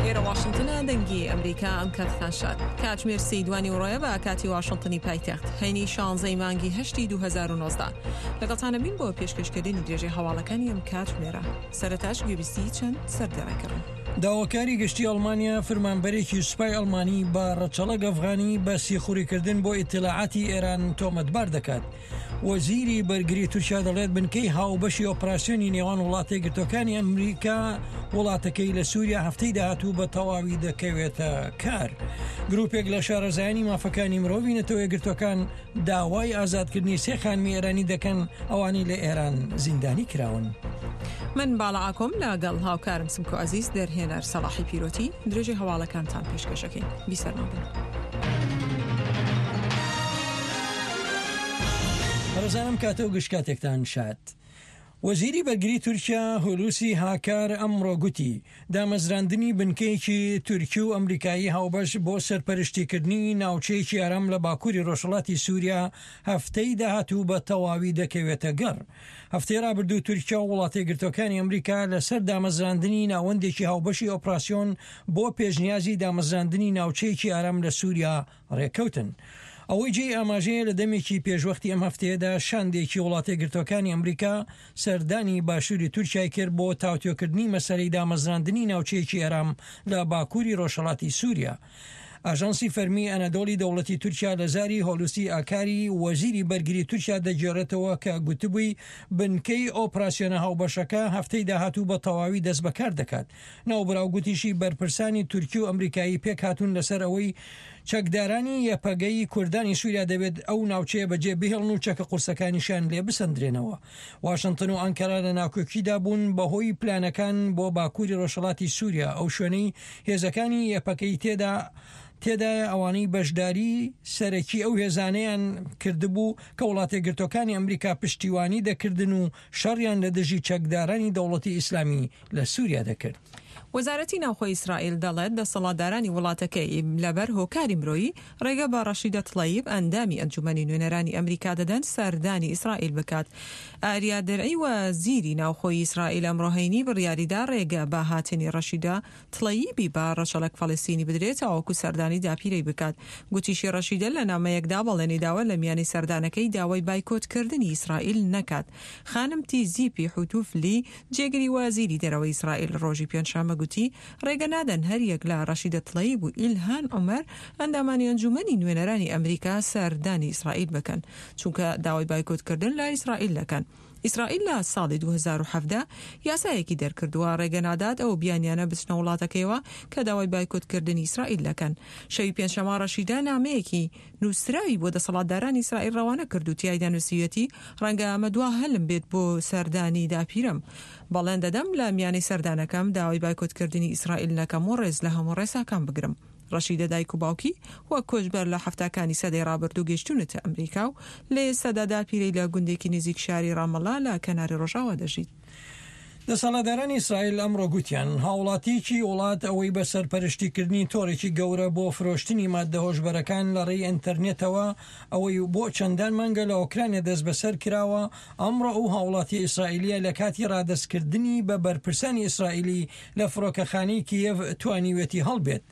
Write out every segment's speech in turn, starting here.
ئێرە واشنتنە دەنگی ئەمریکا ئەم کاتتان شاد. کاتژمێر سێی دوانی وڕۆیە بە کاتی واشنتنی پایتەخت هەینی شانزەی مانگی هەشتی 2019 لەگەڵتانە بین بۆ پێشکەشکردنی درێژەی هەواڵەکانی ئەم کاتژمێرە سەرەتاش گوێبیستی چەند سەردێڕێک بن. داواکاری گشتی ئەڵمانیا فرمانبەرێکی سوپای ئەڵمانی بە ڕەچەڵەک ئەفغانی بە سیخوڕیکردن بۆ ئیتلاعاتی ئێران تۆمەتبار دەکات. وەزیری بەرگری تورکیا دەڵێت بنکەی هاوبەشی ئۆپراسیۆنی نێوان وڵاتە یەکگرتووەکانی ئەمریکا وڵاتەکەی لە سووریا هەفتەی داهاتوو بە تەواوی دەکەوێتە کار. گروپێک لە شارەزایانی مافەکانی مرۆڤی نەتەوە یەکگرتووەکان داوای ئازادکردنی سێ خانمی ئێرانی دەکەن ئەوانەی لە ئێران زیندانی کراون. من باڵا ئاکۆم لەگەڵ هاوکارم سمکۆ عەزیز دەرهێنەر سەڵاحی پیرۆتی درێژەی هەواڵەکانتان پێشکەشەکەین بیسەرمان بن. بەڕێزانم کاتە و گشت کاتێکتان شاد. وەزیری بەرگری تورکیا هولوسی هاکار ئەمڕۆ گوتی، دامەزراندنی بنکەیەکی تورکی و ئەمریکایی هاوبەش بۆ سەرپەرشتیکردنی ناوچەیەکی ئارام لە باکووری ڕۆژهەڵاتی سووریا هەفتەی داهاتوو بە تەواوی دەکەوێتە گەڕ. هەفتەی ڕابردوو تورکیا و وڵاتەیەکگرتووەکانی ئەمریکا لەسەر دامەزراندنی ناوەندێکی هاوبەشی ئۆپراسیۆن بۆ پێشنیازی دامەزراندنی ناوچەیەکی ئارام لە سووریا ڕێککەوتن. ئەوەی جێی ئاماژەیە لە دەمێکی پێشوەختی ئەم هەفتەیەدا شاندێکی وڵاتەیەکگرتووەکانی ئەمریکا سەردانی باشووری تورکیای کرد بۆ تاوتوێکردنی مەسەلەی دامەزراندنی ناوچەیەکی ئارام لە باکووری ڕۆژهەڵاتی سووریا. ئاژانسی فەرمی ئەنەدۆڵی دەوڵەتی تورکیا لە زاری هۆلوسی ئاکاری وەزیری بەرگری تورکیا دەگێڕێتەوە کە گوتبووی بنکەی ئۆپراسیۆنە هاوبەشەکە هەفتەی داهاتوو بە تەواوی دەستبەکار دەکات. ناوبراو گوتیشی بەرپرسانی تورکی و ئەمریکایی پێکهاتوون لەسەر ئەوەی چەکدارانی یەپەگەی کوردانی سووریا دەبێت ئەو ناوچەیە بەجێ بهێڵن و چەکە قورسەکانیشیان لێ بسەندرێنەوە. واشنتن و ئانکەرا لە ناکۆکیدا بوون بەهۆی پلانەکان بۆ باکووری ڕۆژهەڵاتی سووریا، ئەو شوێنەی هێزەکانی یەپەکەی تێدا تێدایە ئەوانەی بەشداری سەرەکی ئەو هێزانەیان کردبوو کە وڵاتەیەکگرتووەکانی ئەمریکا پشتیوانی دەکردن و شەڕیان لە دژی چەکدارانی دەوڵەتی ئیسلامی لە سووریا دەکرد. وەزارەتی ناوخۆی ئیسرائیل دەڵێت، دەسەڵاتدارانی وڵاتەکەی لەبەر هۆکاری مرۆیی ڕێگە بە ڕەشیدە تڵەیب، ئەندامی ئەنجومەنی نوێنەرانی ئەمریکا دەدەن سەردانی ئیسرائیل بکات. ئاریا درعی وەزیری ناوخۆی ئیسرائیل ئەمڕۆ هەینی بڕیاریدا ڕێگە بە هاتنی ڕەشیدە تڵەیبی بە ڕەچەڵەک فەڵەستینی بدرێت تاوەکو سەردانی داپیرەی بکات. گوتیشی ڕەشیدە لە نامەیەکدا بەڵێنی داوە لە میانی سەردانەکەی داوای بایکۆتکردنی ئیسرائیل نەکات. خانم تیزیپی حوتوفلی، جێگری وەزیری دەرەوەی ئیسرائیل ڕۆژی پێنجشەممە گوتی، ڕێگە نادەن هەریەک لە ڕەشیدە تڵەیب و ئیلهان عومەر، ئەندامانی ئەنجوومەنی نوێنەرانی ئەمریکا سەردانی ئیسرائیل بکەن، چونکە داوای بایکۆتکردن لە ئیسرائیل دەکەن. ئیسرائیل لە ساڵی 2017 یاسایەکی دەرکردووە ڕێگە نادات ئەو بیانیانە بچنە وڵاتەکەیەوە کە داوای بایکۆتکردنی ئیسرائیل دەکەن. شەوی پێنجشەممە ڕەشیدە نامەیەکی نووسراوی بۆ دەسەڵاتدارانی ئیسرائیل ڕەوانە کرد و تیایدا نووسیویەتی، ڕەنگە ئەمە دوا هەلم بێت بۆ سەردانی داپیرەم. بەڵێن دەدەم لە میانەی سەردانەکەم داوای بایکۆتکردنی ئیسرائیل نەکەم و ڕێز لە هەموو ڕێساکان بگرم. ڕەشیدە دایک و باوکی وەک کۆچبەر لە حەفتاکانی سەدەی ڕابردوو گەیشتوونەتە ئەمریکا و لە ئێستادا داپیرەی لە گوندێکی نزیک شاری ڕامەڵا لە کەناری ڕۆژاوا دەژیت. دەسەڵاتدارانی ئیسرائیل ئەمڕۆ گوتیان، هاوڵاتییەکی وڵات ئەوەی بە سەرپەرشتیکردنی تۆڕێکی گەورە بۆ فرۆشتنی ماددە هۆشبەرەکان لە ڕێی ئینتەرنێتەوە ئەوەی بۆ چەندان مانگە لە ئۆکرانیا دەستبەسەر کراوە، ئەمڕۆ ئەو هاوڵاتییە ئیسرائیلییە لە کاتی ڕادەستکردنی بە بەرپرسانی ئیسرائیلی لە فڕۆکەخانەی کیێڤ توانیویەتی هەڵبێت.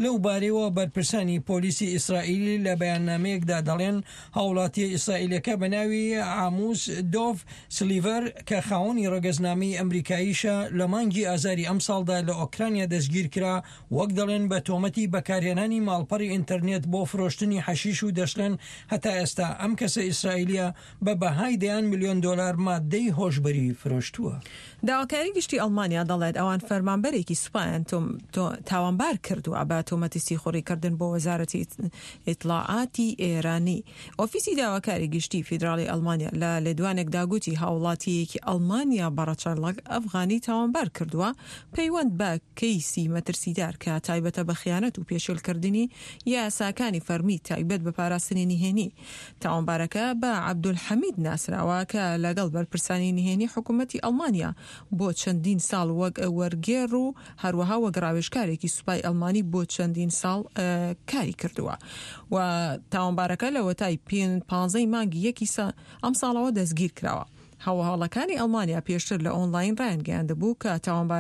لەو بارەیەوە بەرپرسانی پۆلیسی ئیسرائیلی لە بەیاننامەیەکدا دەڵێن، هاوڵاتییە ئیسرائیلیەکە بە ناوی عاموس دۆڤ سلیڤەر کە خاوەنی ڕەگەزنامەی ئەمریکاییشە لە مانگی ئازاری ئەمساڵدا لە ئۆکرانیا دەستگیرکرا، وەک دەڵێن بە تۆمەتی بەکارهێنانی ماڵپەڕی ئینتەرنێت بۆ فرۆشتنی حەشیش و دەشڵێن هەتا ئێستا ئەم کەسە ئیسرائیلیە بە بەهای دەیان ملیۆن دۆلار ماددەی هۆشبەری فرۆشتووە. داواکاری گشتی ئەڵمانیا دەڵێت، ئەوان فەرمانبەرێکی سوپایان تاوانبار کردووە بە تۆمەتی سیخوڕیکردن بۆ وەزارەتی ئیتڵاعاتی ئێرانی. ئۆفیسی داواکاری گشتی فیدراڵی ئەڵمانیا لە لێدوانێکدا گوتی، هاوڵاتییەکی ئەڵمانیا بە ڕەچەڵەک ئەفغانی تاوانبار کردووە پەیوەند بە کەیسی مەترسیدار کە تایبەتە بە خیانەت و پێشێلکردنی یاساکانی فەرمی تایبەت بە پاراستنی نهێنی. تاوانبارەکە بە عەبدولحەمید ناسراوە کە لەگەڵ بەرپرسانی نهێنی حکومەتی ئەڵمانیا بۆ چەندین ساڵ وەک وەرگێڕ و هەروەها وەک ڕاوێژکارێکی سوپای ئەڵمانی بۆ چەندین ساڵ کاری کردووە و تاوانبارەکە لەوەتای پانزەی مانگی یەکی ئەمساڵەوە دەستگیر کراوە. هەواڵەکانی ئەڵمانیا پێشتر لە ئۆنلاین ڕایانگەیاندبوو کە تاوانبارەکە.